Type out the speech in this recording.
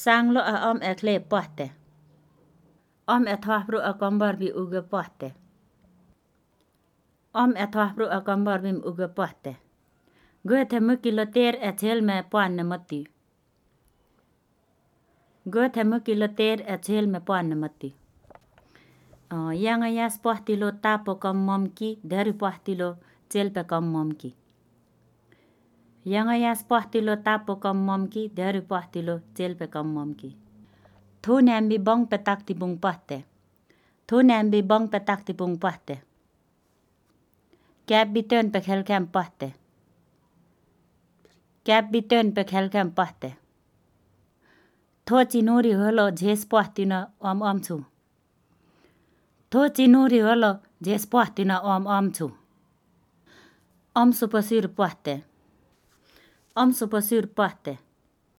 Sang lo a om ekle pohte. Om ethwahbru a kombar bi uge pohte. Om ethwahbru a kombar bim uge pohte. Goethe mukilo ter ethel me poanne mati. Goethe mukilo ter ethel me poanne mati. Yanga yas pohtilo tapo kom momki dari pohtilo chelpe kom momki. Yanga yas pohtilo tapo kom momki dari pohtilo chelpe kom momki. Thu nambi bong petak tibung pohte. Thu nambi bong petak tibung pohte. Kap bitön pe khelkem pohte. Kap bitön pe khelkem pohte. Tho chinuri holo jhes pohtina om chu. Tho chinuri holo jhes pohtina om chu. Om supasir pohte. Om supasir pohte.